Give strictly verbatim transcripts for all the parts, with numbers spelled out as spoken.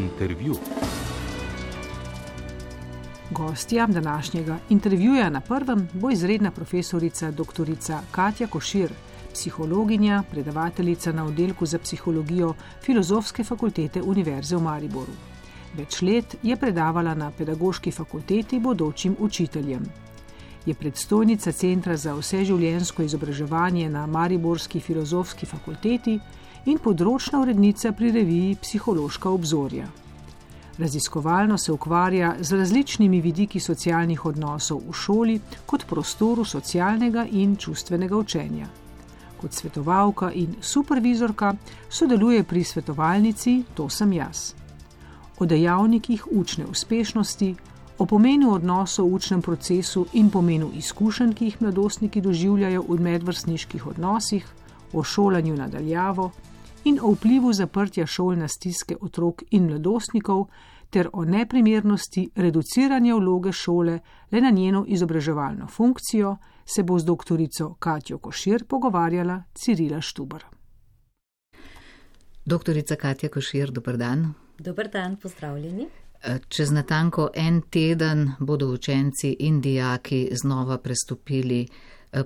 Intervju. Gostja današnjega intervjuja na prvem bo izredna profesorica doktorica Katja Košir, psihologinja, predavateljica na oddelku za psihologijo Filozofske fakultete Univerze v Mariboru. Več let je predavala na Pedagoški fakulteti bodočim učiteljem. Je predstojnica Centra za vseživljenjsko izobraževanje na Mariborski filozofski fakulteti in področna urednica pri reviji Psihološka obzorja. Raziskovalno se ukvarja z različnimi vidiki socialnih odnosov v šoli kot prostoru socialnega in čustvenega učenja. Kot svetovalka in supervizorka sodeluje pri svetovalnici To sem jaz. O dejavnikih učne uspešnosti, o pomenu odnosov v učnem procesu in pomenu izkušenj, ki jih mladostniki doživljajo v medvrstniških odnosih, o šolanju nadaljavo in o vplivu zaprtja šol na stiske otrok in mladostnikov ter o neprimernosti reduciranja vloge šole le na njeno izobraževalno funkcijo, se bo z doktorico Katjo Košir pogovarjala Cirila Štubar. Doktorica Katja Košir, dober dan. Dober dan, pozdravljeni. Čez natanko en teden bodo učenci in dijaki znova prestopili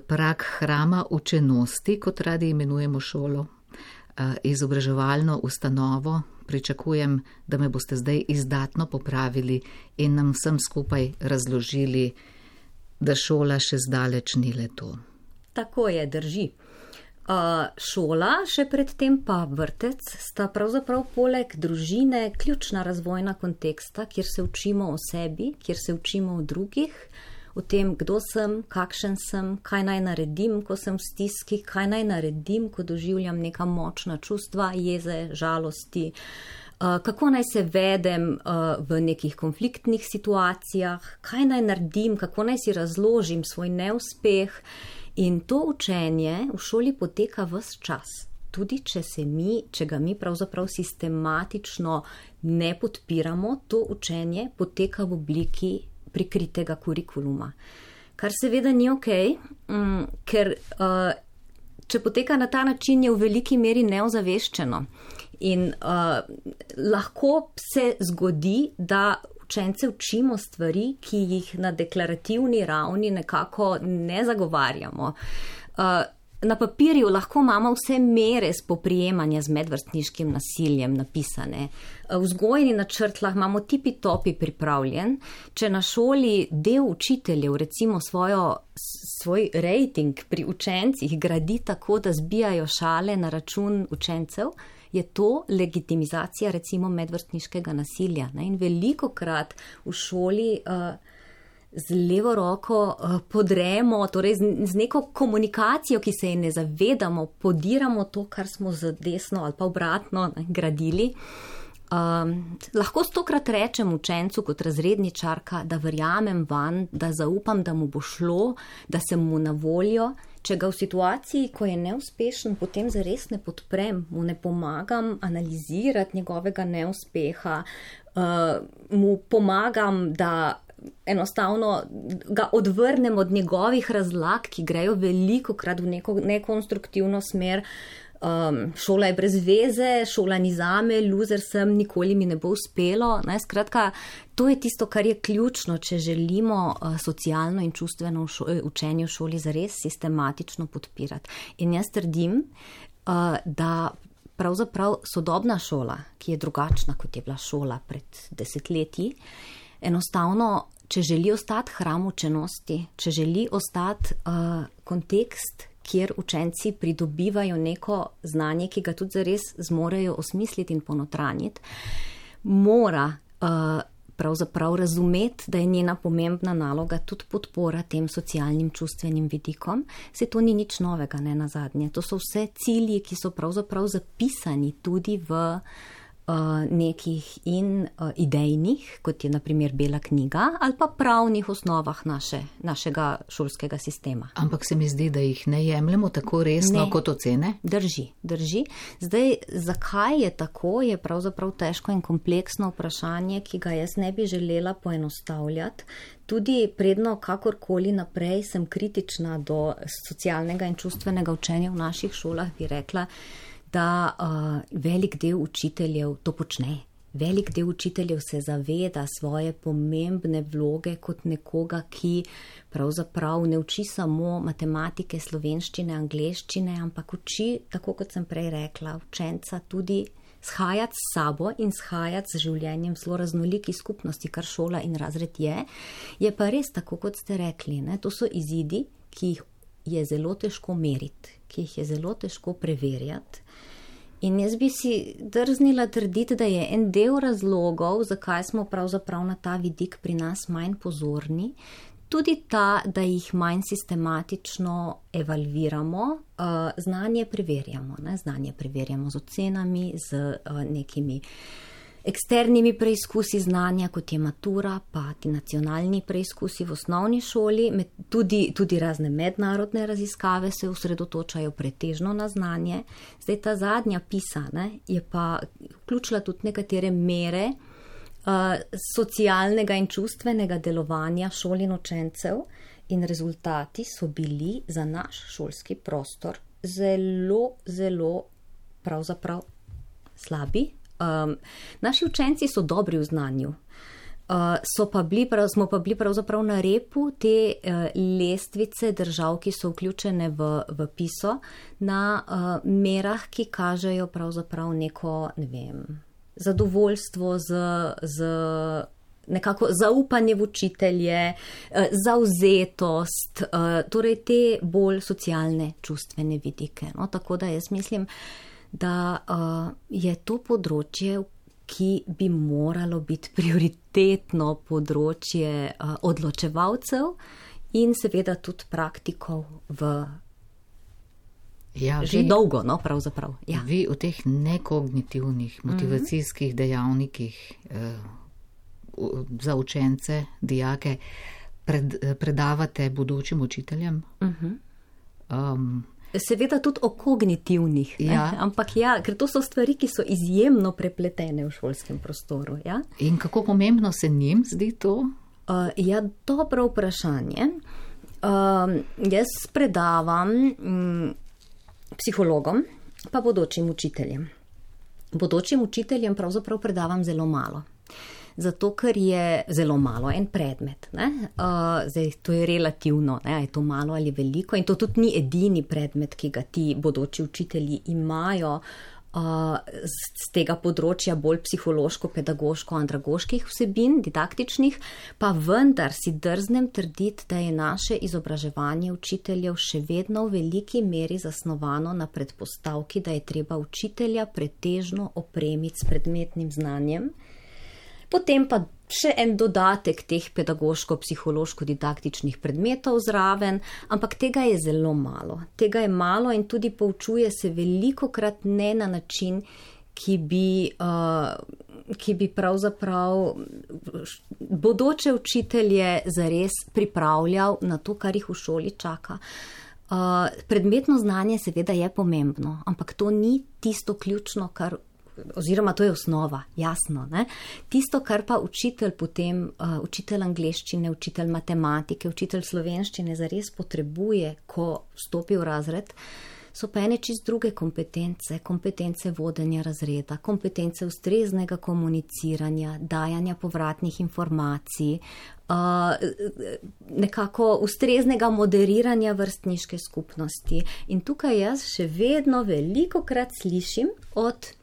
prag hrama učenosti, kot radi imenujemo šolo, izobraževalno ustanovo. Pričakujem, da me boste zdaj izdatno popravili in nam vsem skupaj razložili, da šola še zdaleč ni le to. Tako je, drži. Uh, šola, še predtem pa vrtec, sta pravzaprav poleg družine ključna razvojna konteksta, kjer se učimo o sebi, kjer se učimo o drugih, o tem, kdo sem, kakšen sem, kaj naj naredim, ko sem v stiski, kaj naj naredim, ko doživljam neka močna čustva, jeze, žalosti, uh, kako naj se vedem uh, v nekih konfliktnih situacijah, kaj naj naredim, kako naj si razložim svoj neuspeh. In to učenje v šoli poteka ves čas, tudi če, se mi, če ga mi pravzaprav sistematično ne podpiramo, to učenje poteka v obliki prikritega kurikuluma. Kar seveda ni okej, okay, ker uh, če poteka na ta način, je v veliki meri neozaveščeno. In uh, lahko se zgodi, da učence učimo stvari, ki jih na deklarativni ravni nekako ne zagovarjamo. Na papirju lahko imamo vse mere spoprijemanja z medvrstniškim nasiljem napisane. V vzgojni načrtlah imamo tipi-topi pripravljen. Če na šoli del učiteljev recimo svojo, svoj rating pri učencih gradi tako, da zbijajo šale na račun učencev, je to legitimizacija recimo medvrstniškega nasilja. Ne? In veliko krat v šoli uh, z levo roko uh, podremo, torej z, z neko komunikacijo, ki se je ne zavedamo, podiramo to, kar smo z desno ali pa obratno ne, gradili. Um, lahko stokrat rečem učencu kot razredničarka, da verjamem van, da zaupam, da mu bo šlo, da sem mu na voljo. Če ga v situaciji, ko je neuspešen, potem zares ne podprem, mu ne pomagam analizirati njegovega neuspeha, uh, mu pomagam, da enostavno ga odvrnem od njegovih razlag, ki grejo veliko krat v neko nekonstruktivno smer. Um, šola je brez veze, šola ni zame, loser sem, nikoli mi ne bo uspelo. Ne? Skratka, to je tisto, kar je ključno, če želimo uh, socialno in čustveno v šo- učenje v šoli zares sistematično podpirati. In jaz trdim, uh, da pravzaprav sodobna šola, ki je drugačna, kot je bila šola pred desetletji, enostavno, če želi ostati hram učenosti, če želi ostati uh, kontekst, kjer učenci pridobivajo neko znanje, ki ga tudi zares zmorejo osmisliti in ponotranjiti, mora uh, pravzaprav razumeti, da je njena pomembna naloga tudi podpora tem socialnim čustvenim vidikom. Se to ni nič novega, ne nazadnje. To so vse cilji, ki so pravzaprav zapisani tudi v uh, nekih in uh, idejnih, kot je na primer Bela knjiga, ali pa pravnih osnovah naše, našega šolskega sistema. Ampak se mi zdi, da jih ne jemljemo tako resno ne. Kot ocene? Drži, drži. Zdaj, zakaj je tako, je pravzaprav težko in kompleksno vprašanje, ki ga jaz ne bi želela poenostavljati. Tudi predno kakorkoli naprej sem kritična do socialnega in čustvenega učenja v naših šolah, bi rekla, da uh, velik del učiteljev to počne. Velik del učiteljev se zaveda svoje pomembne vloge kot nekoga, ki pravzaprav ne uči samo matematike, slovenščine, angleščine, ampak uči, tako kot sem prej rekla, učenca tudi shajati s sabo in shajati z življenjem v zelo raznoliki skupnosti, kar šola in razred je. Je pa res tako, kot ste rekli, ne? To so izidi, ki jih je zelo težko meriti, ki jih je zelo težko preverjati. In jaz bi si drznila trditi, da je en del razlogov, zakaj smo pravzaprav na ta vidik pri nas manj pozorni, tudi ta, da jih manj sistematično evalviramo, znanje preverjamo. Ne? Znanje preverjamo z ocenami, z nekimi eksternimi preizkusi znanja, kot je matura, pa ti nacionalni preizkusi v osnovni šoli, tudi, tudi razne mednarodne raziskave se osredotočajo pretežno na znanje. Zdaj ta zadnja PISA, ne, je pa vključila tudi nekatere mere uh, socialnega in čustvenega delovanja šol in učencev in rezultati so bili za naš šolski prostor zelo, zelo pravzaprav slabi. Um, naši učenci so dobri v znanju, uh, so pa bili, prav, smo pa bili pravzaprav na repu te uh, lestvice držav, ki so vključene v, v PISO, na uh, merah, ki kažejo pravzaprav neko, ne vem, zadovoljstvo z, z nekako zaupanje v učitelje, uh, zavzetost, uh, torej te bolj socialne, čustvene vidike. No, tako da jaz mislim, da uh, je to področje, ki bi moralo biti prioritetno področje uh, odločevalcev in seveda tudi praktikov v ja, že vi, dolgo, no, pravzaprav. Ja. Vi v teh nekognitivnih motivacijskih mm-hmm. dejavnikih uh, za učence, dijake pred, predavate bodočim učiteljem? Mm-hmm. Um, Seveda tudi o kognitivnih, ja. Ampak ja, ker to so stvari, ki so izjemno prepletene v šolskem prostoru. Ja? In kako pomembno se njim zdi to? Uh, ja, dobro vprašanje. Uh, jaz predavam um, psihologom, pa bodočim učiteljem. Bodočim učiteljem pravzaprav predavam zelo malo. Zato, ker je zelo malo en predmet. Ne? Uh, zdaj, to je relativno, ne? Je to malo ali veliko in to tudi ni edini predmet, ki ga ti bodoči učitelji imajo uh, z tega področja bolj psihološko, pedagoško, andragoških vsebin, didaktičnih, pa vendar si drznem trditi, da je naše izobraževanje učiteljev še vedno v veliki meri zasnovano na predpostavki, da je treba učitelja pretežno opremiti s predmetnim znanjem. Potem pa še en dodatek teh pedagoško-psihološko-didaktičnih predmetov zraven, ampak tega je zelo malo. Tega je malo in tudi poučuje se velikokrat ne na način, ki bi, uh, ki bi pravzaprav bodoče učitelje zares pripravljal na to, kar jih v šoli čaka. Uh, predmetno znanje seveda je pomembno, ampak to ni tisto ključno, kar oziroma to je osnova, jasno. Ne? Tisto, kar pa učitelj potem, uh, učitelj angleščine, učitelj matematike, učitelj slovenščine zares potrebuje, ko vstopi v razred, so pa ene čist druge kompetence, kompetence vodenja razreda, kompetence ustreznega komuniciranja, dajanja povratnih informacij, uh, nekako ustreznega moderiranja vrstniške skupnosti. In tukaj jaz še vedno velikokrat slišim od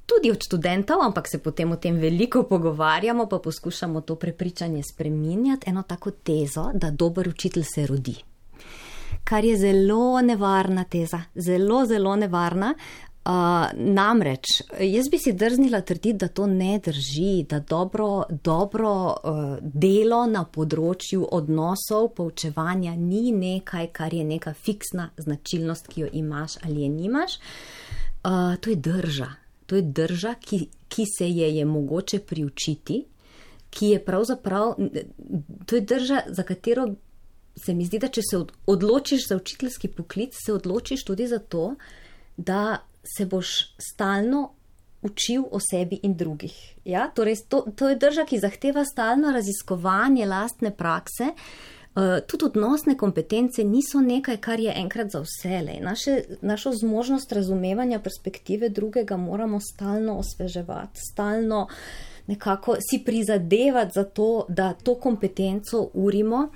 tudi od študentov, ampak se potem o tem veliko pogovarjamo, pa poskušamo to prepričanje spreminjati, eno tako tezo, da dober učitelj se rodi. Kar je zelo nevarna teza, zelo, zelo nevarna. Uh, namreč, jaz bi si drznila trditi, da to ne drži, da dobro, dobro uh, delo na področju odnosov, poučevanja ni nekaj, kar je neka fiksna značilnost, ki jo imaš ali je nimaš. Uh, to je drža. To je drža, ki, ki se je je mogoče priučiti, ki je pravzaprav, to je drža, za katero se mi zdi, da če se odločiš za učiteljski poklic, se odločiš tudi za to, da se boš stalno učil o sebi in drugih. Ja? Torej, to, to je drža, ki zahteva stalno raziskovanje lastne prakse, Uh, tudi odnosne kompetence niso nekaj, kar je enkrat za vselej. Naše, našo zmožnost razumevanja perspektive drugega moramo stalno osveževati, stalno nekako si prizadevati za to, da to kompetenco urimo.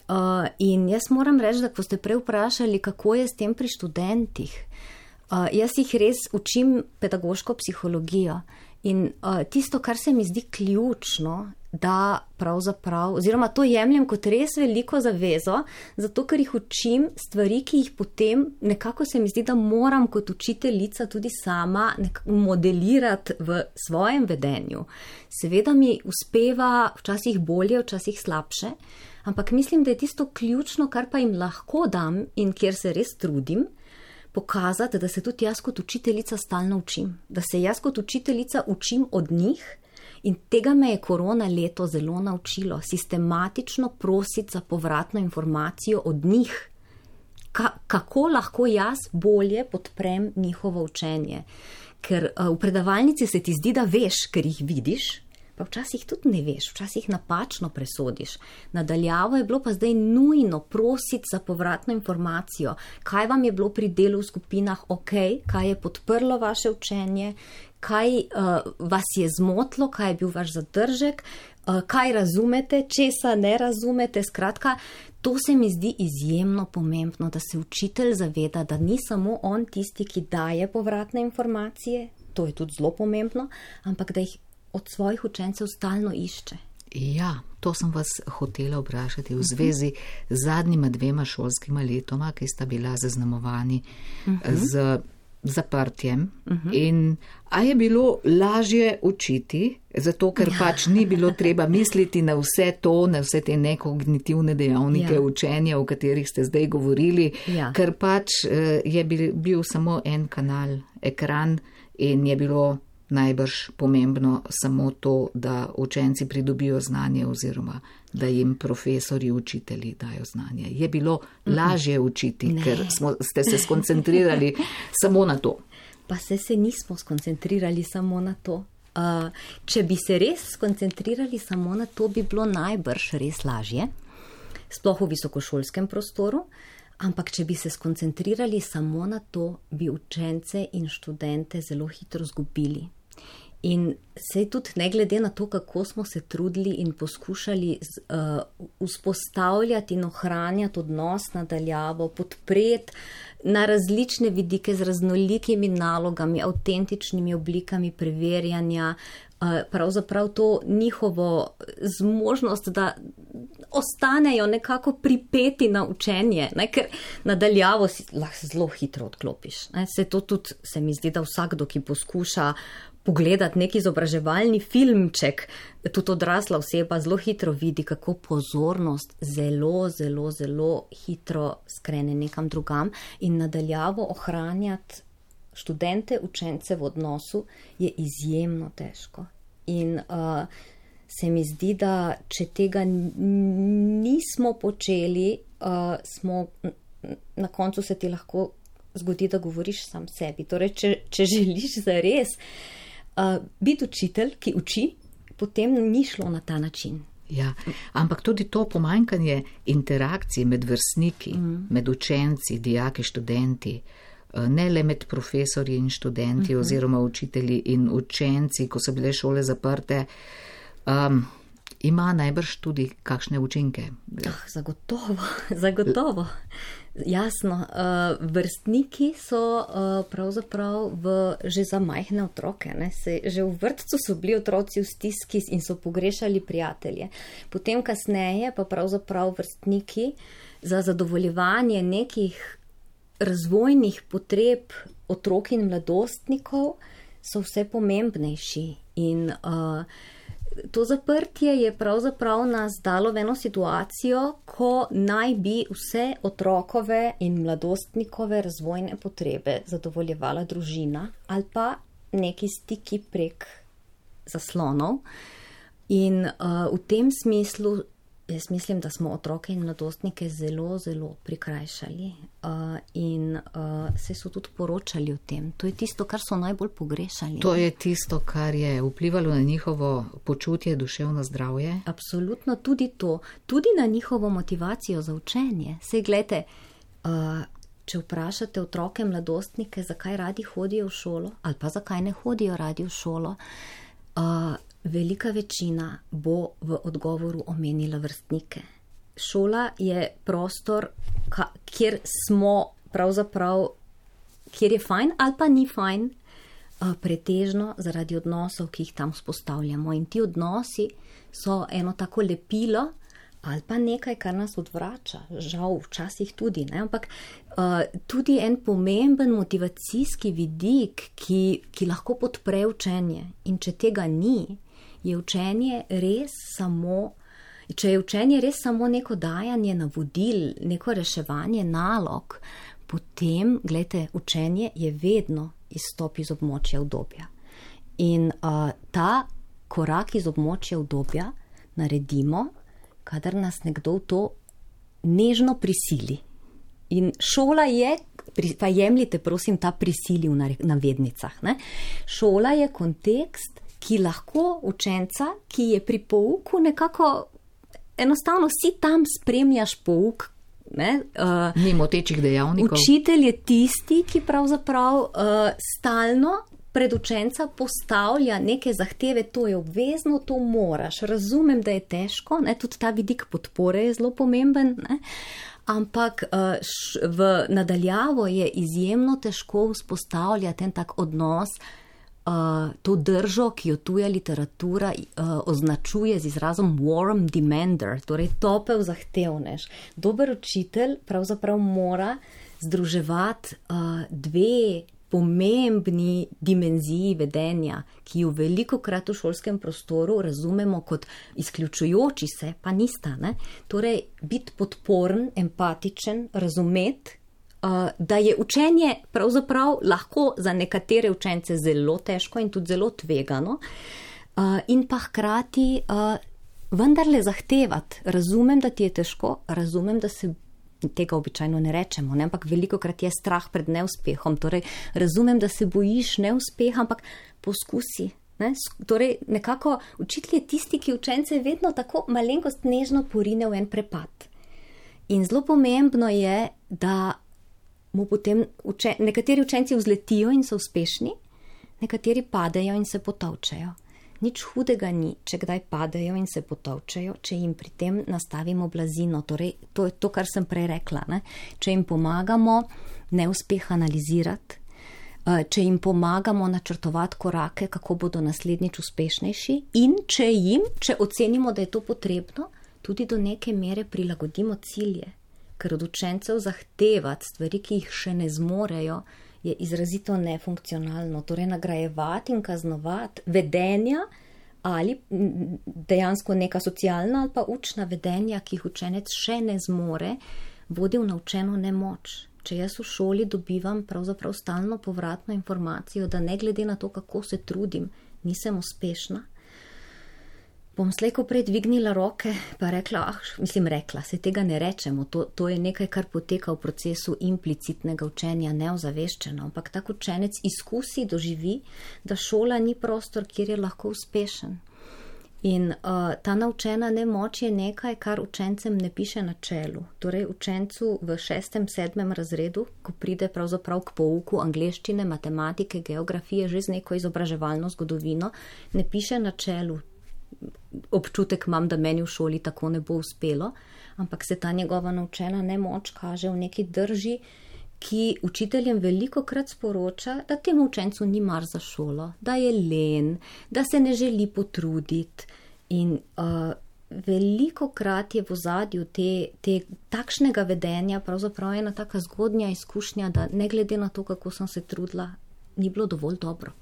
Uh, in jaz moram reči, da ko ste prej vprašali, kako je s tem pri študentih, uh, jaz jih res učim pedagoško psihologijo. In uh, tisto, kar se mi zdi ključno, da pravzaprav, oziroma to jemljem kot res veliko zavezo, zato ker jih učim stvari, ki jih potem nekako se mi zdi, da moram kot učiteljica tudi sama modelirati v svojem vedenju. Seveda mi uspeva včasih bolje, včasih slabše, ampak mislim, da je tisto ključno, kar pa jim lahko dam in kjer se res trudim, pokazati, da se tudi jaz kot učiteljica stalno učim, da se jaz kot učiteljica učim od njih. In tega me je korona leto zelo naučilo, sistematično prositi za povratno informacijo od njih, Ka, kako lahko jaz bolje podprem njihovo učenje. Ker uh, v predavalnici se ti zdi, da veš, ker jih vidiš, pa včasih tudi ne veš, včasih napačno presodiš. Nadaljavo je bilo pa zdaj nujno prositi za povratno informacijo, kaj vam je bilo pri delu v skupinah ok, kaj je podprlo vaše učenje, kaj uh, vas je zmotlo, kaj je bil vaš zadržek, uh, kaj razumete, česa ne razumete. Skratka, to se mi zdi izjemno pomembno, da se učitelj zaveda, da ni samo on tisti, ki daje povratne informacije, to je tudi zelo pomembno, ampak da jih od svojih učencev stalno išče. Ja, to sem vas hotela vprašati v zvezi z zadnjima dvema šolskima letoma, ki sta bila zaznamovani uh-huh. z zaprtjem. Uh-huh. In a je bilo lažje učiti, zato ker pač ni bilo treba misliti na vse to, na vse te nekognitivne dejavnike ja. učenja, o katerih ste zdaj govorili, ja. ker pač je bil, bil samo en kanal, ekran, in je bilo najbrž pomembno samo to, da učenci pridobijo znanje oziroma da jim profesori, učitelji dajo znanje. Je bilo lažje učiti, ne. ker smo, ste se skoncentrirali samo na to. Pa se se nismo skoncentrirali samo na to. Uh, če bi se res skoncentrirali samo na to, bi bilo najbrž res lažje, sploh v visokošolskem prostoru. Ampak, če bi se skoncentrirali samo na to, bi učence in študente zelo hitro zgubili. In sej tudi ne glede na to, kako smo se trudili in poskušali uh, vzpostavljati in ohranjati odnos nadaljavo, podpreti na različne vidike z raznolikimi nalogami, avtentičnimi oblikami preverjanja, uh, pravzaprav to njihovo zmožnost, da ostanejo nekako pripeti na učenje, ne, ker nadaljavo si lahko zelo hitro odklopiš. Ne. Se to tudi, se mi zdi, da vsakdo, ki poskuša pogledati neki izobraževalni filmček, tudi odrasla oseba zelo hitro vidi, kako pozornost zelo, zelo, zelo hitro skrene nekam drugam in nadaljavo ohranjati študente, učence v odnosu je izjemno težko. In uh, se mi zdi, da če tega nismo počeli, uh, smo, na koncu se ti lahko zgodi, da govoriš sam sebi. Torej, če, če želiš zares uh, biti učitelj, ki uči, potem ni šlo na ta način. Ja, ampak tudi to pomanjkanje interakcij med vrstniki, mm. med učenci, dijaki, študenti, ne le med profesorji in študenti mm-hmm. oziroma učitelji in učenci, ko so bile šole zaprte, Um, ima najbrž tudi kakšne učinke? Ah, zagotovo, zagotovo. Jasno, uh, vrstniki so uh, pravzaprav v, že za majhne otroke. Ne? Se, že v vrtcu so bili otroci v stiski in so pogrešali prijatelje. Potem kasneje pa pravzaprav vrstniki za zadovoljevanje nekih razvojnih potreb otrok in mladostnikov so vse pomembnejši. In uh, to zaprtje je pravzaprav nas dalo v eno situacijo, ko naj bi vse otrokove in mladostnikove razvojne potrebe zadovoljevala družina ali pa neki stiki prek zaslonov. In uh, v tem smislu jaz mislim, da smo otroke in mladostnike zelo, zelo prikrajšali uh, in uh, se so tudi poročali o tem. To je tisto, kar so najbolj pogrešali. To je tisto, kar je vplivalo na njihovo počutje, duševno zdravje? Absolutno, tudi to. Tudi na njihovo motivacijo za učenje. Sej, glejte, uh, če vprašate otroke, mladostnike, zakaj radi hodijo v šolo ali pa zakaj ne hodijo radi v šolo, uh, velika večina bo v odgovoru omenila vrstnike. Šola je prostor, ka, kjer smo pravzaprav, kjer je fajn ali pa ni fajn, pretežno zaradi odnosov, ki jih tam vzpostavljamo. In ti odnosi so eno tako lepilo ali pa nekaj, kar nas odvrača. Žal, včasih tudi, ne? Ampak uh, tudi en pomemben motivacijski vidik, ki, ki lahko podpre učenje. In če tega ni, je učenje res samo, če je učenje res samo neko dajanje navodil, neko reševanje nalog, potem, gledajte, učenje je vedno izstop iz območja udobja. In uh, ta korak iz območja udobja naredimo, kadar nas nekdo v to nežno prisili. In šola je, pa jemljite prosim ta prisili v navednicah, ne? Šola je kontekst, ki lahko učenca, ki je pri pouku nekako, enostavno si tam spremljaš pouk, ne? Uh, Ni motečih dejavnikov. Učitelj je tisti, ki pravzaprav uh, stalno pred učenca postavlja neke zahteve, to je obvezno, to moraš. Razumem, da je težko, ne? Tudi ta vidik podpore je zelo pomemben, ne? Ampak uh, š, v nadaljavo je izjemno težko vzpostavljati en tak odnos, Uh, to držo, ki jo tuja literatura uh, označuje z izrazom warm demander, torej topel zahtevnež. Dober učitelj pravzaprav mora združevati uh, dve pomembni dimenziji vedenja, ki jo velikokrat v šolskem prostoru razumemo kot izključujoči se, pa nista, ne? Torej, biti podporen, empatičen, razumeti, Uh, da je učenje pravzaprav lahko za nekatere učence zelo težko in tudi zelo tvegano uh, in pa hkrati uh, vendarle zahtevati. Razumem, da ti je težko, razumem, da se tega običajno ne rečemo, ne? Ampak velikokrat je strah pred neuspehom, torej razumem, da se bojiš neuspeha, ampak poskusi. Ne? Torej nekako učitelj je tisti, ki učence vedno tako malenkost nežno porine v en prepad. In zelo pomembno je, da mu potem uče, nekateri učenci vzletijo in so uspešni, nekateri padejo in se potolčejo. Nič hudega ni, če kdaj padejo in se potolčejo, če jim pri tem nastavimo blazino. Torej, to je to, kar sem prej rekla, ne? Če jim pomagamo neuspeh analizirati, če jim pomagamo načrtovati korake, kako bodo naslednjič uspešnejši in če jim, če ocenimo, da je to potrebno, tudi do neke mere prilagodimo cilje. Ker od učencev zahtevati stvari, ki jih še ne zmorejo, je izrazito nefunkcionalno. Torej nagrajevati in kaznovati vedenja ali dejansko neka socialna ali pa učna vedenja, ki jih učenec še ne zmore, vodi v naučeno nemoč. Če jaz v šoli dobivam pravzaprav stalno povratno informacijo, da ne glede na to, kako se trudim, nisem uspešna, bom slejko prej dvignila roke, pa rekla, ah, mislim rekla, se tega ne rečemo, to, to je nekaj, kar poteka v procesu implicitnega učenja, neozaveščeno, ampak tak učenec izkusi, doživi, da šola ni prostor, kjer je lahko uspešen. In uh, ta naučena nemoč je nekaj, kar učencem ne piše na čelu. Torej učencu v šestem, sedmem razredu, ko pride pravzaprav k pouku angleščine, matematike, geografije, že z neko izobraževalno zgodovino, ne piše na čelu. Občutek imam, da meni v šoli tako ne bo uspelo, ampak se ta njegova naučena nemoč kaže v neki drži, ki učiteljem velikokrat sporoča, da temu učencu ni mar za šolo, da je len, da se ne želi potruditi in uh, velikokrat je v ozadju te, te takšnega vedenja pravzaprav ena taka zgodnja izkušnja, da ne glede na to, kako sem se trudila, ni bilo dovolj dobro.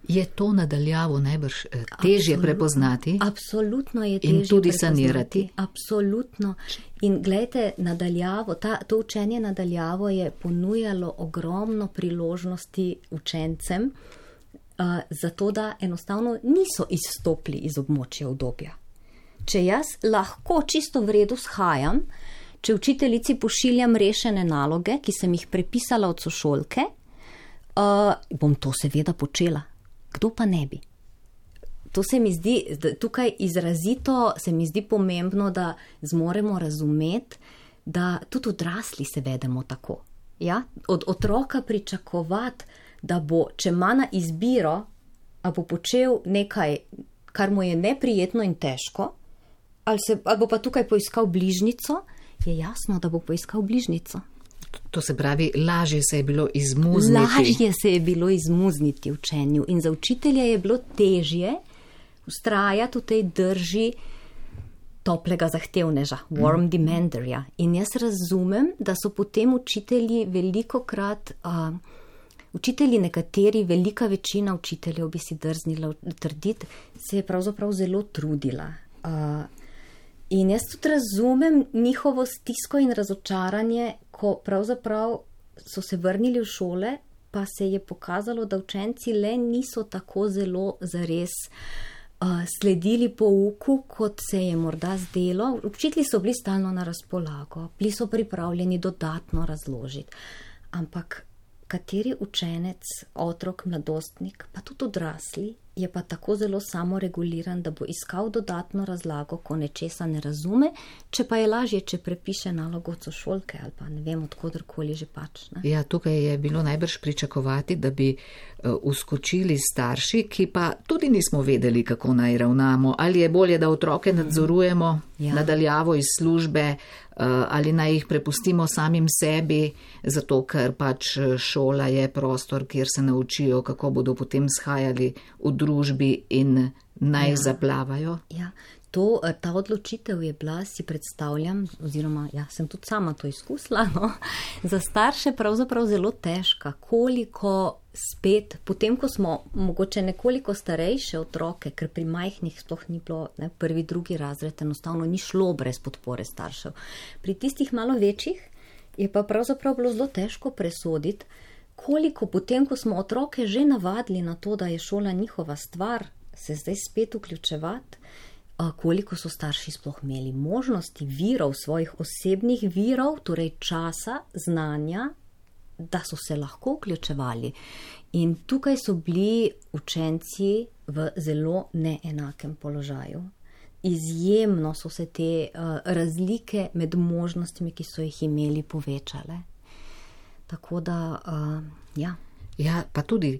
Je to nadaljavo najbrž težje Absolut, prepoznati? Absolutno je težje in tudi prepoznati. Sanirati. Absolutno. In gledajte, nadaljavo, ta, to učenje nadaljavo je ponujalo ogromno priložnosti učencem, uh, zato da enostavno niso izstopili iz območja udobja. če jaz lahko čisto v redu shajam, če učiteljici pošiljam rešene naloge, ki sem jih prepisala od sošolke, uh, bom to seveda počela. Kdo pa ne bi? To se mi zdi, tukaj izrazito se mi zdi pomembno, da zmoremo razumeti, da tudi odrasli se vedemo tako. Ja? Od otroka pričakovati, da bo, če ima na izbiro, a bo počel nekaj, kar mu je neprijetno in težko, ali, se, ali bo pa tukaj poiskal bližnico, je jasno, da bo poiskal bližnico. To se pravi, lažje se je bilo izmuzniti. Lažje se je bilo izmuzniti učenju in za učitelja je bilo težje vztrajati v tej drži toplega zahtevneža, warm demanderja. In jaz razumem, da so potem učitelji velikokrat, uh, učitelji nekateri, velika večina učiteljev bi si drznila trditi, se je pravzaprav zelo trudila. Uh, in jaz tudi razumem njihovo stisko in razočaranje, ko pravzaprav so se vrnili v šole, pa se je pokazalo, da učenci le niso tako zelo zares uh, sledili pouku, kot se je morda zdelo. Učitelji so bili stalno na razpolago, bili so pripravljeni dodatno razložiti. Ampak kateri učenec, otrok, mladostnik, pa tudi odrasli, je pa tako zelo samoreguliran, da bo iskal dodatno razlago, ko nečesa ne razume, če pa je lažje, če prepiše nalogo od sošolke ali pa ne vem, odkodarkoli že pač. Ne? Ja, tukaj je bilo najbrž pričakovati, da bi uh, uskočili starši, ki pa tudi nismo vedeli, kako naj ravnamo. Ali je bolje, da otroke nadzorujemo ja. nadaljavo iz službe, uh, ali naj jih prepustimo samim sebi, zato ker pač šola je prostor, kjer se naučijo, kako bodo potem shajali v družbi in naj ja. zaplavajo. Ja, to, ta odločitev je bila, si predstavljam, oziroma ja, sem tudi sama to izkusila, no, za starše pravzaprav zelo težka, koliko spet, potem ko smo mogoče nekoliko starejše otroke, ker pri majhnih sploh ni bilo, ne, prvi, drugi razred, enostavno ni šlo brez podpore staršev. Pri tistih malo večjih je pa pravzaprav bilo zelo težko presoditi, koliko potem, ko smo otroke že navadili na to, da je šola njihova stvar, se zdaj spet vključevati, koliko so starši sploh imeli možnosti, virov, svojih osebnih virov, torej časa, znanja, da so se lahko vključevali. In tukaj so bili učenci v zelo neenakem položaju. Izjemno so se te uh, razlike med možnostmi, ki so jih imeli, povečale. Tako da, uh, ja. Ja, pa tudi,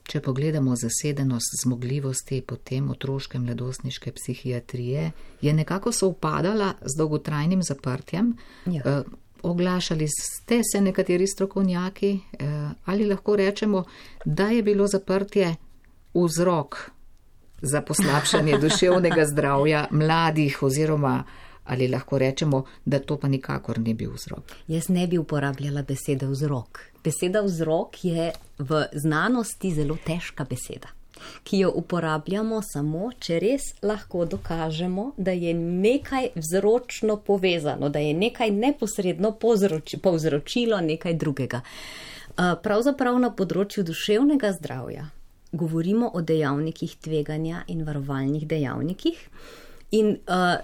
če pogledamo zasedenost zmogljivosti potem otroške mladostniške psihiatrije, je nekako sovpadala z dolgotrajnim zaprtjem. Ja. Uh, oglašali ste se nekateri strokovnjaki, uh, ali lahko rečemo, da je bilo zaprtje vzrok za poslabšanje duševnega zdravja mladih oziroma ali lahko rečemo, da to pa nikakor ni bil vzrok. Jaz ne bi uporabljala besede vzrok. Beseda vzrok je v znanosti zelo težka beseda, ki jo uporabljamo samo, če res lahko dokažemo, da je nekaj vzročno povezano, da je nekaj neposredno povzroči, povzročilo nekaj drugega. Pravzaprav na področju duševnega zdravja govorimo o dejavnikih tveganja in varovalnih dejavnikih in uh,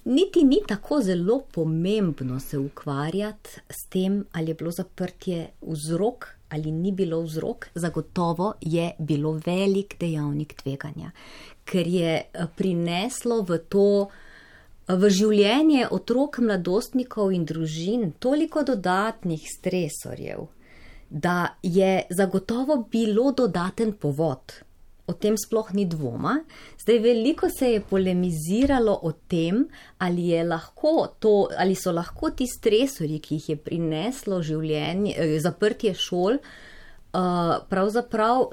niti ni tako zelo pomembno se ukvarjati s tem, ali je bilo zaprtje vzrok ali ni bilo vzrok. Zagotovo je bilo velik dejavnik tveganja, ker je prineslo v to, v življenje otrok, mladostnikov in družin toliko dodatnih stresorjev, da je zagotovo bilo dodaten povod. O tem sploh ni dvoma. Zdaj veliko se je polemiziralo o tem, ali, je lahko to, ali so lahko ti stresorji, ki jih je prineslo življenje, zaprtje šol, pravzaprav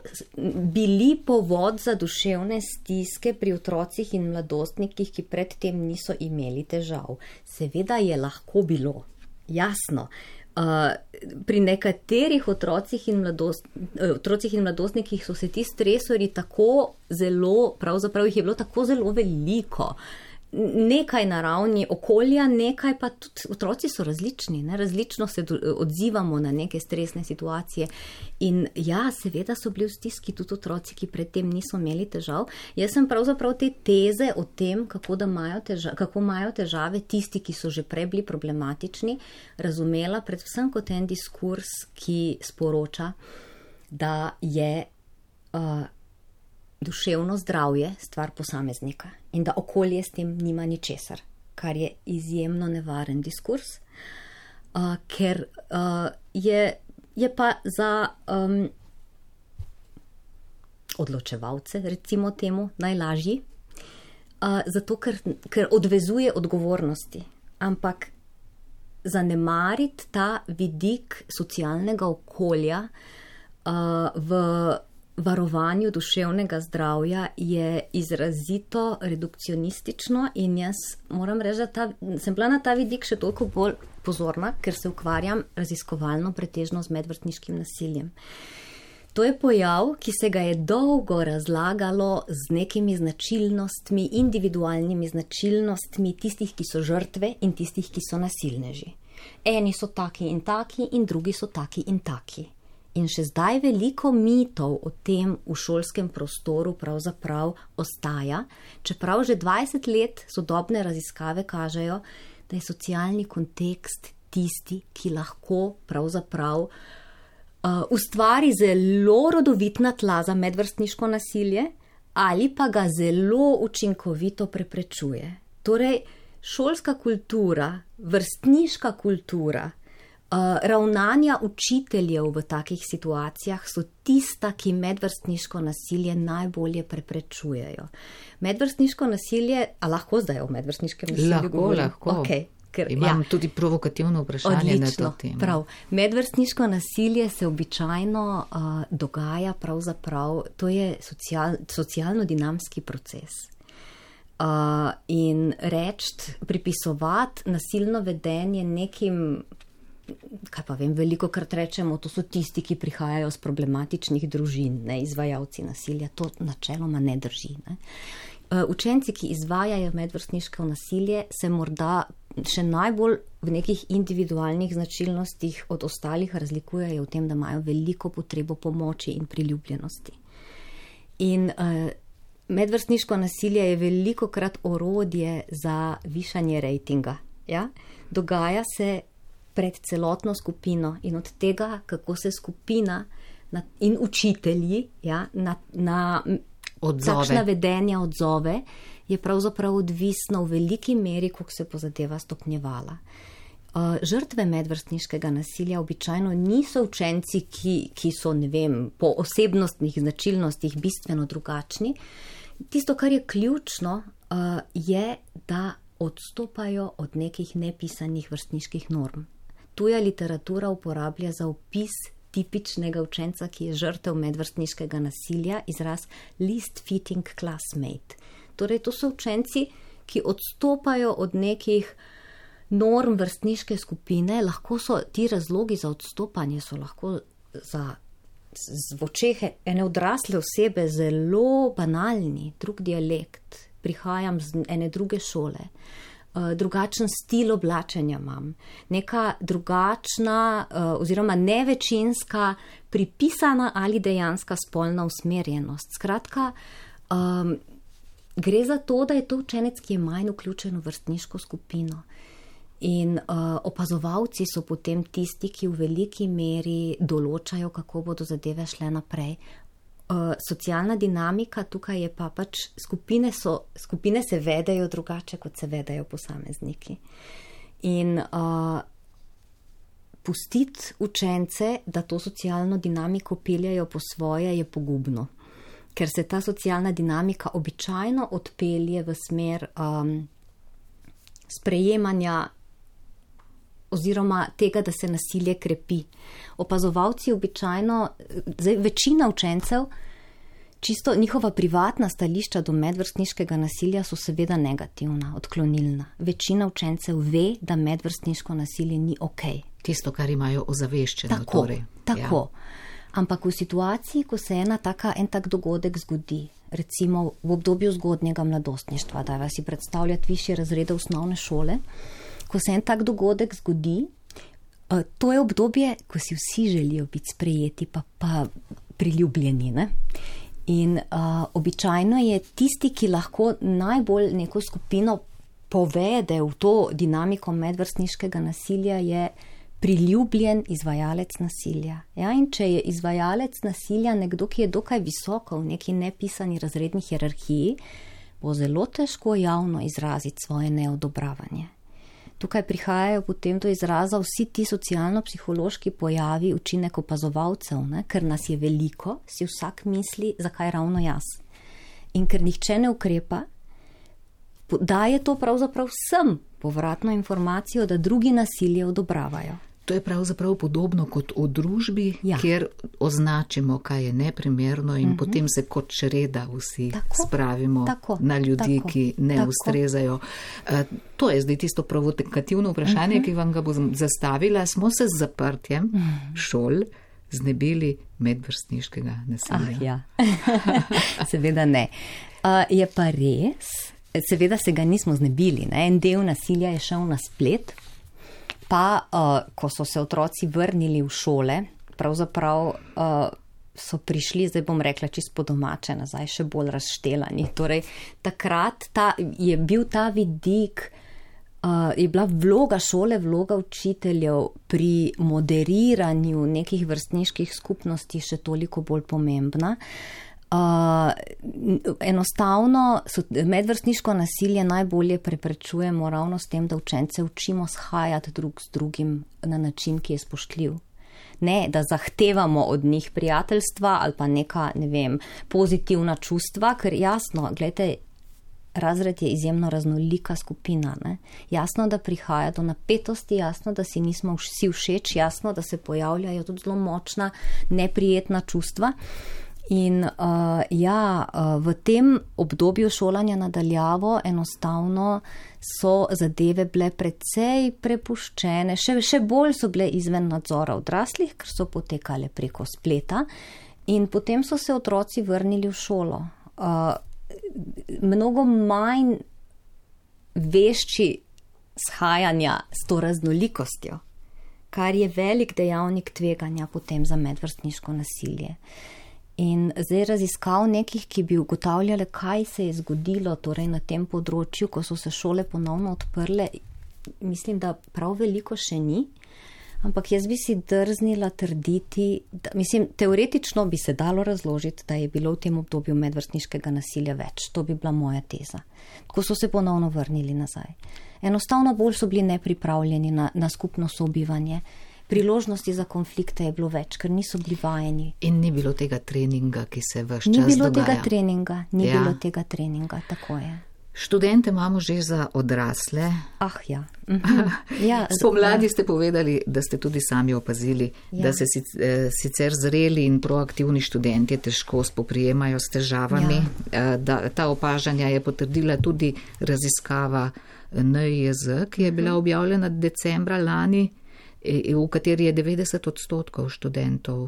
bili povod za duševne stiske pri otrocih in mladostnikih, ki predtem niso imeli težav. Seveda je lahko bilo, jasno. Uh, pri nekaterih otrocih in, mladost, otrocih in mladostnikih so se ti stresori tako zelo, pravzaprav jih je bilo tako zelo veliko nekaj na ravni okolja, nekaj pa tudi otroci so različni, ne? Različno se odzivamo na neke stresne situacije in ja, seveda so bili v stiski tudi otroci, ki predtem niso imeli težav. Jaz sem pravzaprav te teze o tem, kako, da imajo težave, kako imajo težave tisti, ki so že prej bili problematični, razumela predvsem kot en diskurs, ki sporoča, da je uh, duševno zdravje stvar posameznika in da okolje s tem nima ničesar, kar je izjemno nevaren diskurs, uh, ker uh, je, je pa za um, odločevalce, recimo temu, najlažji, uh, zato ker, ker odvezuje odgovornosti, ampak zanemariti ta vidik socialnega okolja uh, v varovanju duševnega zdravja je izrazito redukcionistično in jaz moram reči, da ta, sem bila na ta vidik še toliko bolj pozorna, ker se ukvarjam raziskovalno pretežno z medvrstniškim nasiljem. To je pojav, ki se ga je dolgo razlagalo z nekimi značilnostmi, individualnimi značilnostmi tistih, ki so žrtve in tistih, ki so nasilneži. Eni so taki in taki in drugi so taki in taki. In še zdaj veliko mitov o tem v šolskem prostoru pravzaprav ostaja, čeprav že dvajset let sodobne raziskave kažejo, da je socialni kontekst tisti, ki lahko pravzaprav uh, ustvari zelo rodovitna tla za medvrstniško nasilje ali pa ga zelo učinkovito preprečuje. Torej, šolska kultura, vrstniška kultura, Uh, ravnanja učiteljev v takih situacijah so tista, ki medvrstniško nasilje najbolje preprečujejo. Medvrstniško nasilje, a lahko zdaj o medvrstniškem nasilju lahko, govorim? Lahko, okay, ker, imam ja. tudi provokativno vprašanje Odlično, na to temo. Prav. Medvrstniško nasilje se običajno uh, dogaja pravzaprav, to je social, socialno-dinamski proces. Uh, in reči, pripisovati nasilno vedenje nekim, kaj pa vem, veliko krat rečemo, to so tisti, ki prihajajo z problematičnih družin, ne, izvajalci nasilja, to načeloma ne drži. Ne. Učenci, ki izvajajo medvrstniško nasilje, se morda še najbolj v nekih individualnih značilnostih od ostalih razlikujejo v tem, da imajo veliko potrebo pomoči in priljubljenosti. In uh, medvrstniško nasilje je veliko krat orodje za višanje rejtinga. Ja? Dogaja se pred celotno skupino in od tega, kako se skupina na, in učitelji ja, na, na takšna vedenja odzove, je pravzaprav odvisno v veliki meri, kako se bo zadeva stopnjevala. Uh, žrtve medvrstniškega nasilja običajno niso učenci, ki, ki so, ne vem, po osebnostnih značilnostih bistveno drugačni. Tisto, kar je ključno, uh, je, da odstopajo od nekih nepisanih vrstniških norm. Tuja literatura uporablja za opis tipičnega učenca, ki je žrtev medvrstniškega nasilja, izraz least fitting classmate. Torej, to so učenci, ki odstopajo od nekih norm vrstniške skupine, lahko so ti razlogi za odstopanje, so lahko za z očehe ene odrasle osebe zelo banalni, drug dialekt, prihajam z ene druge šole. Uh, drugačen stil oblačenja imam, neka drugačna uh, oziroma nevečinska pripisana ali dejanska spolna usmerjenost. Skratka, um, gre za to, da je to učenec, ki je manj vključen v vrstniško skupino. In uh, opazovalci so potem tisti, ki v veliki meri določajo, kako bodo zadeve šle naprej. Uh, socialna dinamika tukaj je pa pač, skupine, so, skupine se vedejo drugače, kot se vedejo posamezniki. In uh, pustiti učence, da to socialno dinamiko peljajo po svoje, je pogubno. Ker se ta socialna dinamika običajno odpelje v smer um, sprejemanja oziroma tega, da se nasilje krepi. Opazovalci običajno, zdaj večina učencev, čisto njihova privatna stališča do medvrstniškega nasilja so seveda negativna, odklonilna. Večina učencev ve, da medvrstniško nasilje ni okej. Tisto, kar imajo ozaveščeno. Tako, torej. tako. Ampak v situaciji, ko se ena taka, en tak dogodek zgodi, recimo v obdobju zgodnjega mladostništva, da vas si predstavljati višje razrede osnovne šole, ko se en tak dogodek zgodi, to je obdobje, ko si vsi želijo biti sprejeti, pa, pa priljubljeni, ne? In uh, običajno je tisti, ki lahko najbolj neko skupino povede v to dinamiko medvrstniškega nasilja, je priljubljen izvajalec nasilja. Ja, in če je izvajalec nasilja nekdo, ki je dokaj visoko v neki nepisani razredni hierarhiji, bo zelo težko javno izraziti svoje neodobravanje. Tukaj prihajajo potem do izraza vsi ti socialno-psihološki pojavi, učinek opazovalcev, ne? Ker nas je veliko, si vsak misli, zakaj ravno jaz. In ker nihče ne ukrepa, daje to pravzaprav vsem povratno informacijo, da drugi nasilje odobravajo. To je pravzaprav podobno kot v družbi, ja. Kjer označimo, kaj je neprimerno in uh-huh. potem se kot čreda vsi tako, spravimo tako, na ljudi, tako, ki ne tako. Ustrezajo. Uh, to je zdaj tisto provokativno vprašanje, uh-huh. ki vam ga bom zastavila. Smo se z zaprtjem uh-huh. šol znebili medvrstniškega nasilja? Ah, ja. Seveda ne. Uh, je pa res, seveda se ga nismo znebili. Ne? En del nasilja je šel na splet. Pa, uh, ko so se otroci vrnili v šole, pravzaprav uh, so prišli, zdaj bom rekla, čisto po domače nazaj, še bolj razštelani. Torej, takrat ta, je bil ta vidik, uh, je bila vloga šole, vloga učiteljev pri moderiranju nekih vrstniških skupnosti še toliko bolj pomembna. Uh, enostavno so, medvrstniško nasilje najbolje preprečujemo ravno s tem, da učence učimo shajati drug z drugim na način, ki je spoštljiv. Ne, da zahtevamo od njih prijateljstva ali pa neka, ne vem, pozitivna čustva, ker jasno, gledajte, razred je izjemno raznolika skupina. Ne? Jasno, da prihaja do napetosti, jasno, da si nismo vsi všeč, jasno, da se pojavljajo tudi zelo močna, neprijetna čustva. In uh, ja, uh, v tem obdobju šolanja nadaljavo enostavno so zadeve bile precej prepuščene, še, še bolj so bile izven nadzora odraslih, ker so potekale preko spleta in potem so se otroci vrnili v šolo. Uh, mnogo manj vešči shajanja s to raznolikostjo, kar je velik dejavnik tveganja potem za medvrstniško nasilje. In zdaj raziskav nekih, ki bi ugotavljale, kaj se je zgodilo torej na tem področju, ko so se šole ponovno odprle, mislim, da prav veliko še ni, ampak jaz bi si drznila trditi, da, mislim, teoretično bi se dalo razložiti, da je bilo v tem obdobju medvrstniškega nasilja več. To bi bila moja teza. Ko so se ponovno vrnili nazaj. Enostavno bolj so bili nepripravljeni na, na skupno sobivanje. Priložnosti za konflikte je bilo več, ker niso bili vajeni. In ni bilo tega treninga, ki se ves čas dogaja. Ni bilo dogaja. tega treninga, ni ja. bilo tega treninga, tako je. Študente imamo že za odrasle. Ah, ja. Mhm. ja Spomladi ste povedali, da ste tudi sami opazili, ja. da se sicer zreli in proaktivni študenti težko spoprijemajo s težavami. Ja. Da, ta opažanja je potrdila tudi raziskava N I J Z, ki je bila objavljena decembra lani, v kateri je devetdeset odstotkov študentov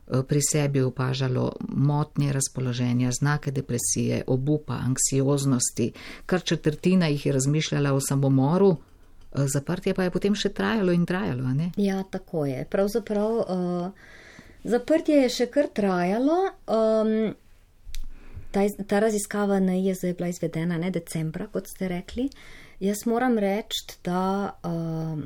pri sebi opažalo motnje razpoloženja, znake depresije, obupa, anksioznosti, kar četrtina jih je razmišljala o samomoru, zaprtje pa je potem še trajalo in trajalo, a ne? Ja, tako je. Pravzaprav uh, zaprtje je še kar trajalo. Um, ta, ta raziskava N I J Z je bila izvedena ne decembra, kot ste rekli. Jaz moram reči, da uh,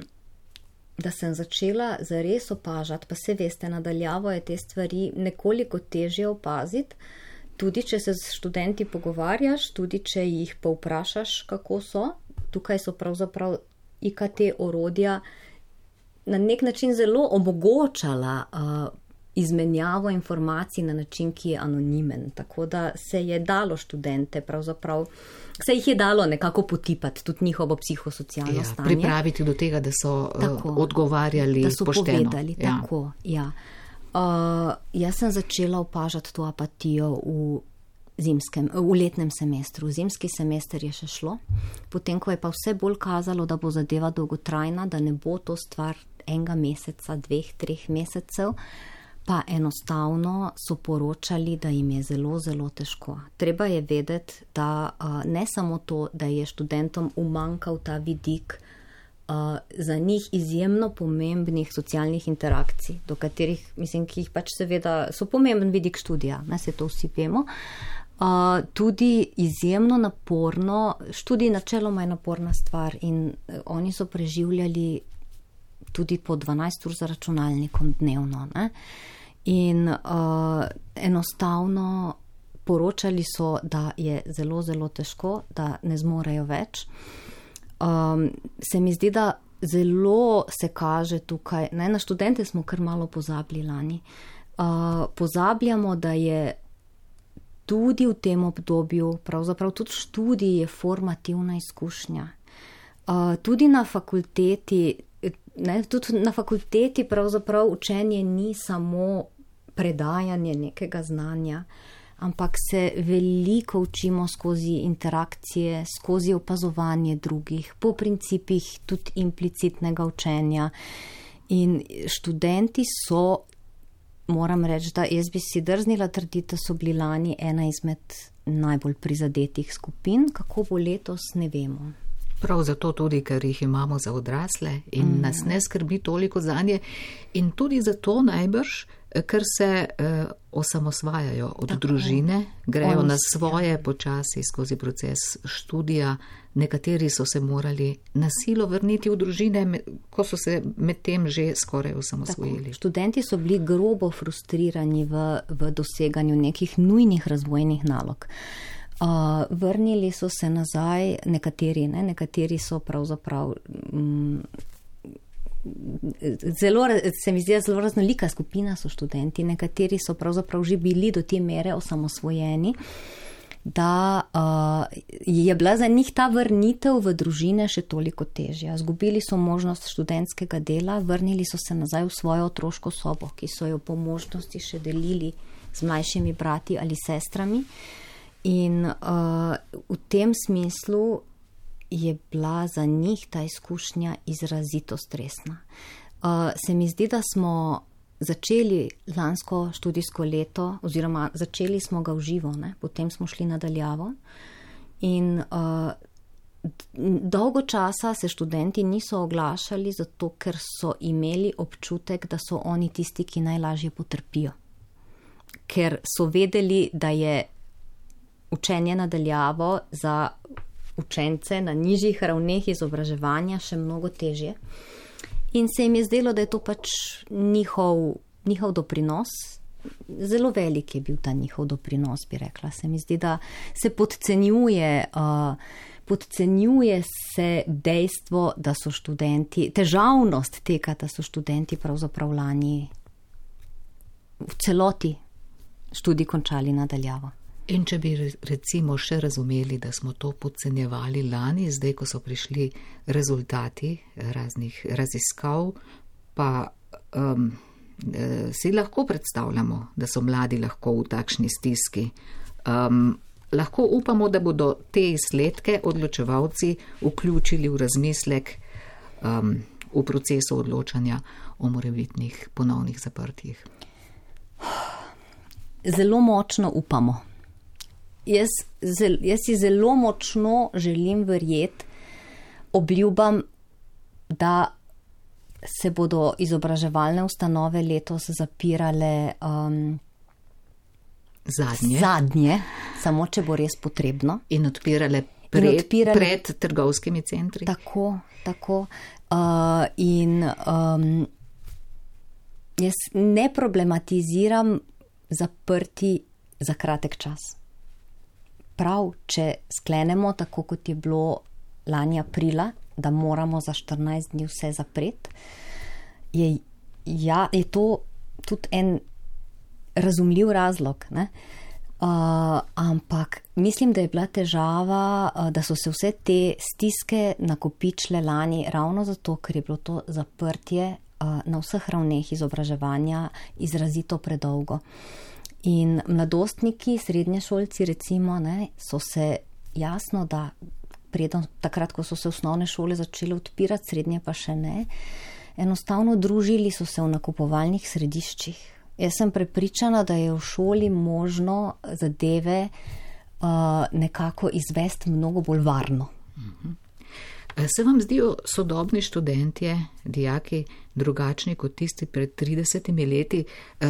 da sem začela zares opažati, pa se veste, nadaljavo je te stvari nekoliko težje opaziti, tudi če se s študenti pogovarjaš, tudi če jih pa vprašaš, kako so. Tukaj so pravzaprav I K T orodja na nek način zelo omogočala uh, izmenjavo informacij na način, ki je anonimen. Tako da se je dalo študente pravzaprav, se jih je dalo nekako potipati, tudi njihovo psihosocialno ja, stanje. Pripraviti do tega, da so tako, uh, odgovarjali da so pošteno. Povedali, ja. Tako, ja. Uh, jaz sem začela opažati to apatijo v, zimskem, v letnem semestru. Zimski semester je še šlo, potem ko je pa vse bolj kazalo, da bo zadeva dolgotrajna, da ne bo to stvar enega meseca, dveh, treh mesecev, pa enostavno so poročali, da jim je zelo, zelo težko. Treba je vedeti, da uh, ne samo to, da je študentom umanjkal ta vidik uh, za njih izjemno pomembnih socialnih interakcij, do katerih, mislim, ki jih pač seveda so pomemben vidik študija, ne, se to vsi vemo. Uh, tudi izjemno naporno, študij načeloma je naporna stvar in uh, oni so preživljali tudi po dvanajst ur za računalnikom dnevno. Ne? In uh, enostavno poročali so, da je zelo, zelo težko, da ne zmorejo več. Um, se mi zdi, da zelo se kaže tukaj, ne, na študente smo kar malo pozabili lani. Uh, pozabljamo, da je tudi v tem obdobju, pravzaprav tudi študij je formativna izkušnja. Uh, tudi na fakulteti, ne, tudi na fakulteti pravzaprav učenje ni samo predajanje nekega znanja, ampak se veliko učimo skozi interakcije, skozi opazovanje drugih, po principih tudi implicitnega učenja. In študenti so, moram reči, da jaz bi si drznila trditi, da so bili lani ena izmed najbolj prizadetih skupin, kako bo letos, ne vemo. Prav zato tudi, ker jih imamo za odrasle in mm. nas ne skrbi toliko zanje in tudi zato najbrž, ker se eh, osamosvajajo od Tako. družine, grejo Oni, na svoje ja. počasi skozi proces študija. Nekateri so se morali na silo vrniti v družine, ko so se med tem že skoraj osamosvojili. Tako. Študenti so bili grobo frustrirani v, v doseganju nekih nujnih razvojnih nalog. Uh, vrnili so se nazaj, nekateri, ne, nekateri so pravzaprav mm, zelo, se mi zdi, zelo raznolika skupina so študenti, nekateri so pravzaprav že bili do te mere osamosvojeni, da uh, je bila za njih ta vrnitev v družine še toliko težja. Zgubili so možnost študentskega dela, vrnili so se nazaj v svojo otroško sobo, ki so jo po možnosti še delili z mlajšimi brati ali sestrami. In uh, v tem smislu je bila za njih ta izkušnja izrazito stresna. Uh, se mi zdi, da smo začeli lansko študijsko leto, oziroma začeli smo ga v živo, ne? Potem smo šli nadaljavo. In uh, dolgo časa se študenti niso oglašali, zato ker so imeli občutek, da so oni tisti, ki najlažje potrpijo. Ker so vedeli, da je učenje nadaljavo za učence na nižjih ravneh izobraževanja še mnogo težje. In se jim je zdelo, da je to pač njihov, njihov doprinos. Zelo velik je bil ta njihov doprinos, bi rekla. Se mi zdi, da se podcenjuje, uh, podcenjuje se dejstvo, da so študenti, težavnost tega, da so študenti pravzaprav lani v celoti študij končali nadaljavo. In če bi recimo še razumeli, da smo to podcenjevali lani, zdaj, ko so prišli rezultati raznih raziskav, pa um, si lahko predstavljamo, da so mladi lahko v takšni stiski. Um, lahko upamo, da bodo te izsledke odločevalci vključili v razmislek um, v procesu odločanja o morebitnih ponovnih zaprtjih. Zelo močno upamo. Jaz, zel, jaz si zelo močno želim verjeti, obljubam, da se bodo izobraževalne ustanove letos zapirale um, zadnje. zadnje, samo če bo res potrebno. In odpirale pred, in odpirale, pred trgovskimi centri. Tako, tako. Uh, in um, jaz ne problematiziram zaprti za kratek čas. Prav, če sklenemo tako, kot je bilo lani aprila, da moramo za štirinajst dni vse zapreti, je, ja, je to tudi en razumljiv razlog. Ne? Uh, ampak mislim, da je bila težava, uh, da so se vse te stiske nakopičile lani ravno zato, ker je bilo to zaprtje uh, na vseh ravneh izobraževanja izrazito predolgo. In mladostniki, srednješolci recimo, ne, so se jasno, da predem, takrat, ko so se osnovne šole začele odpirati, srednje pa še ne, enostavno družili so se v nakupovalnih središčih. Jaz sem prepričana, da je v šoli možno zadeve uh, nekako izvesti mnogo bolj varno. Se vam zdijo sodobni študentje, dijaki, drugačni kot tisti pred tridesetimi leti,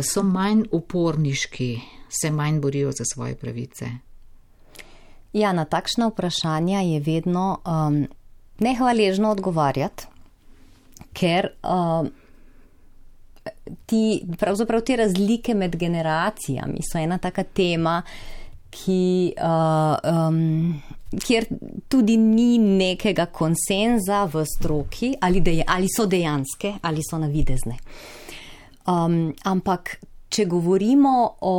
so manj uporniški, se manj borijo za svoje pravice? Ja, na takšna vprašanja je vedno um, nehvaležno odgovarjati, ker um, ti, pravzaprav te razlike med generacijami so ena taka tema, ki, uh, um, kjer tudi ni nekega konsenza v stroki, ali, deja, ali so dejanske, ali so navidezne. Um, ampak, če govorimo o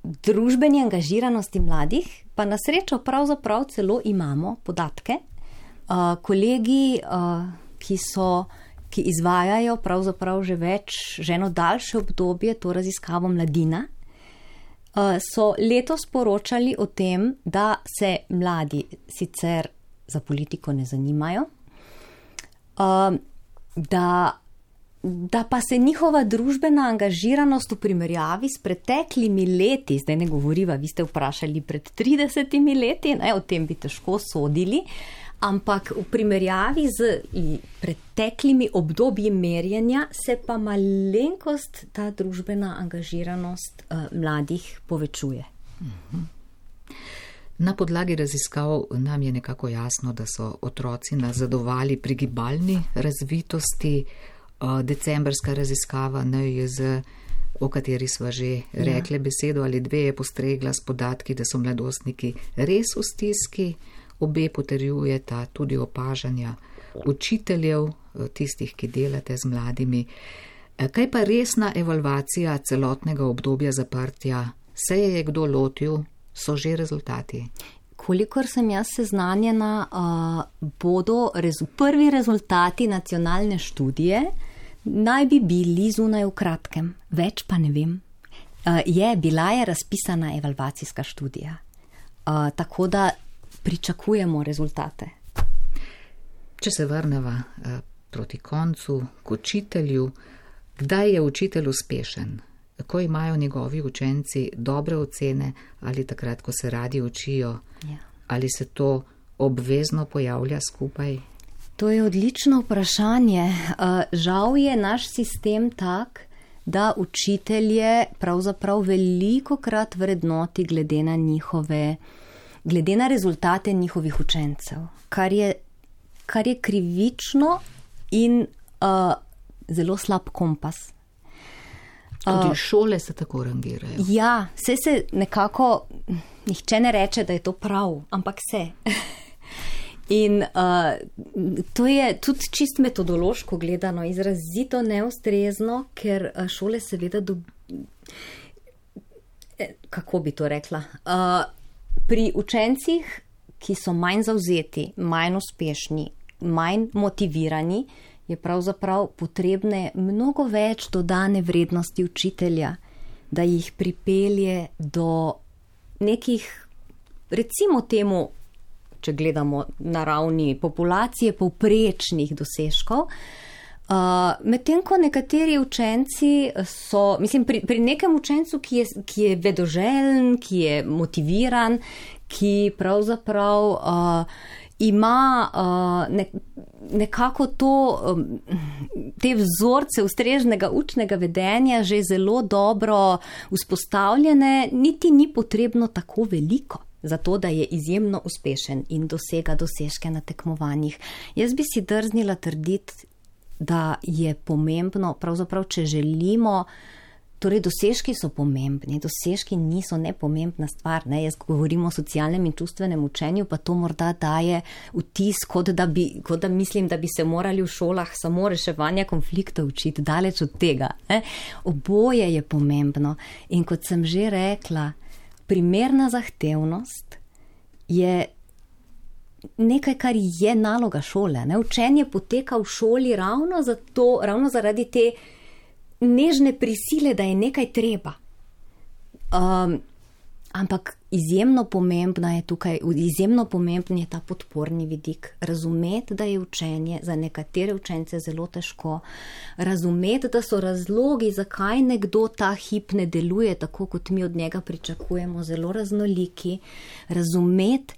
družbeni angažiranosti mladih, pa na srečo pravzaprav celo imamo podatke. Uh, kolegi, uh, ki so, ki izvajajo pravzaprav že več, že eno daljše obdobje, to raziskavo Mladina, so letos poročali o tem, da se mladi sicer za politiko ne zanimajo, da, da pa se njihova družbena angažiranost v primerjavi s preteklimi leti, zdaj ne govoriva, vi ste vprašali pred tridesetimi leti, ne, o tem bi težko sodili, ampak v primerjavi z preteklimi obdobji merjenja se pa malenkost ta družbena angažiranost uh, mladih povečuje. Na podlagi raziskav nam je nekako jasno, da so otroci nazadovali pri gibalni razvitosti. Uh, decembrska raziskava N I J Z, o kateri sva že rekli ja. besedo ali dve, je postregla s podatki, da so mladostniki res v stiski. Obe potrjujeta tudi opažanja učiteljev, tistih, ki delate z mladimi. Kaj pa resna evalvacija celotnega obdobja zaprtja? Se je kdo lotil? So že rezultati? Kolikor sem jaz seznanjena, uh, bodo rezu- prvi rezultati nacionalne študije naj bi bili zunaj v kratkem. Več pa ne vem. Uh, je, bila je razpisana evalvacijska študija. Uh, tako da pričakujemo rezultate. Če se vrneva eh, proti koncu k učitelju, kdaj je učitelj uspešen? Ko imajo njegovi učenci dobre ocene ali takrat, ko se radi učijo? Ja. Ali se to obvezno pojavlja skupaj? To je odlično vprašanje. Uh, žal je naš sistem tak, da učitelje pravzaprav velikokrat vrednoti glede na njihove glede na rezultate njihovih učencev, kar je, kar je krivično in uh, zelo slab kompas. Tudi uh, šole se tako rangirajo. Ja, vse se nekako, nihče ne reče, da je to prav, ampak se. In uh, to je tudi čist metodološko gledano izrazito neustrezno, ker šole seveda do... Kako bi to rekla? Uh, Pri učencih, ki so manj zavzeti, manj uspešni, manj motivirani, je pravzaprav potrebne mnogo več dodane vrednosti učitelja, da jih pripelje do nekih, recimo temu, če gledamo na ravni populacije, povprečnih dosežkov. Uh, medtem ko nekateri učenci so, mislim, pri, pri nekem učencu, ki je, ki je vedoželjen, ki je motiviran, ki pravzaprav uh, ima uh, ne, nekako to, um, te vzorce ustreznega učnega vedenja že zelo dobro vzpostavljene, niti ni potrebno tako veliko, zato da je izjemno uspešen in dosega dosežke na tekmovanjih. Jaz bi si drznila trditi, da je pomembno, pravzaprav, če želimo, torej dosežki so pomembni, dosežki niso nepomembna stvar, ne? Jaz govorim o socialnem in čustvenem učenju, pa to morda daje vtis, kot da, bi, kot da mislim, da bi se morali v šolah samo reševanja konfliktov učiti, daleč od tega. Ne? Oboje je pomembno in kot sem že rekla, primerna zahtevnost je nekaj, kar je naloga šole. Ne? Učenje poteka v šoli ravno, zato, ravno zaradi te nežne prisile, da je nekaj treba. Um, Ampak izjemno pomembna je tukaj, izjemno pomemben je ta podporni vidik. Razumeti, da je učenje za nekatere učence zelo težko. Razumeti, da so razlogi, zakaj nekdo ta hip ne deluje tako, kot mi od njega pričakujemo, zelo raznoliki. Razumeti,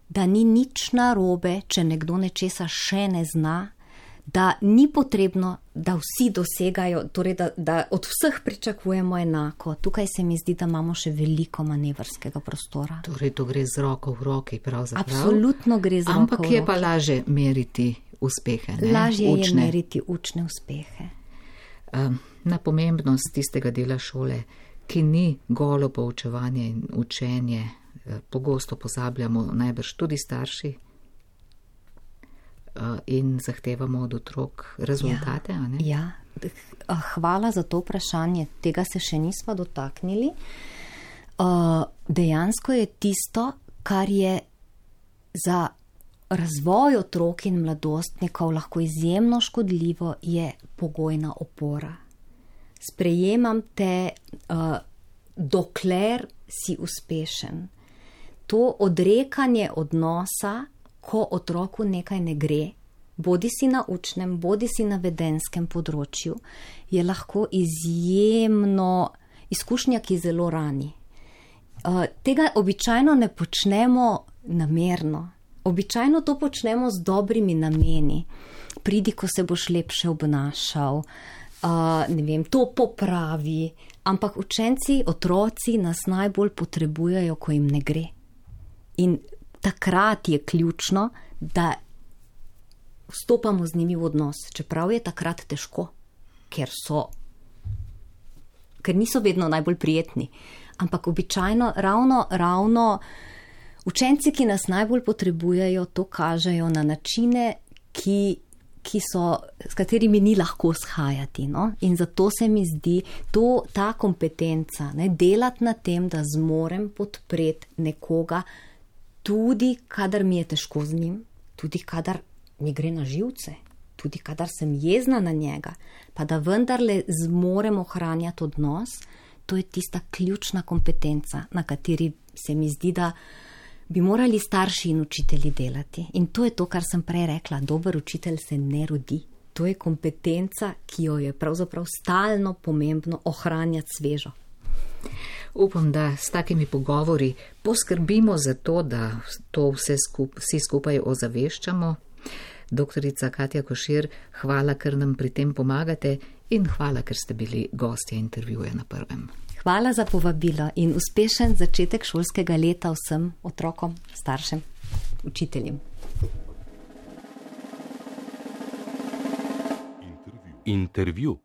da ni nič narobe, če nekdo nečesa še ne zna, da ni potrebno, da vsi dosegajo, torej da, da od vseh pričakujemo enako. Tukaj se mi zdi, da imamo še veliko manevrskega prostora. Torej to gre z roko v roki pravzaprav. Absolutno gre z roko v roki. Ampak je pa lažje meriti uspehe, ne? Lažje učne. je meriti učne uspehe. Na pomembnost tistega dela šole, ki ni golo poučevanje in učenje, pogosto pozabljamo najbrž tudi starši, in zahtevamo od otrok rezultate, ja, a ne? Ja, hvala za to vprašanje, tega se še nismo dotaknili. Dejansko je tisto, kar je za razvoj otrok in mladostnikov lahko izjemno škodljivo, je pogojna opora. Sprejemam te, dokler si uspešen. To odrekanje odnosa, ko otroku nekaj ne gre, bodi si na učnem, bodi si na vedenskem področju, je lahko izjemno izkušnja, ki zelo rani. Tega običajno ne počnemo namerno. Običajno to počnemo z dobrimi nameni. Pridi, ko se boš lepše obnašal, ne vem, to popravi, ampak učenci, otroci nas najbolj potrebujejo, ko jim ne gre. In takrat je ključno, da vstopamo z njimi v odnos, čeprav je takrat težko, ker so, ker niso vedno najbolj prijetni. Ampak običajno ravno, ravno učenci, ki nas najbolj potrebujejo, to kažejo na načine, ki, ki so, s katerimi ni lahko shajati. No? In zato se mi zdi to, ta kompetenca, ne, delati na tem, da zmorem podpreti nekoga, tudi kadar mi je težko z njim, tudi kadar mi gre na živce, tudi kadar sem jezna na njega, pa da vendarle zmorem ohranjati odnos, to je tista ključna kompetenca, na kateri se mi zdi, da bi morali starši in učitelji delati. In to je to, kar sem prej rekla, dober učitelj se ne rodi. To je kompetenca, ki jo je pravzaprav stalno pomembno ohranjati svežo. Upam, da s takimi pogovori poskrbimo za to, da to vse skup, vsi skupaj ozaveščamo. Doktorica Katja Košir, hvala, ker nam pri tem pomagate in hvala, ker ste bili gostje intervjuja na Prvem. Hvala za povabilo in uspešen začetek šolskega leta vsem otrokom, staršem, učiteljem. Intervju.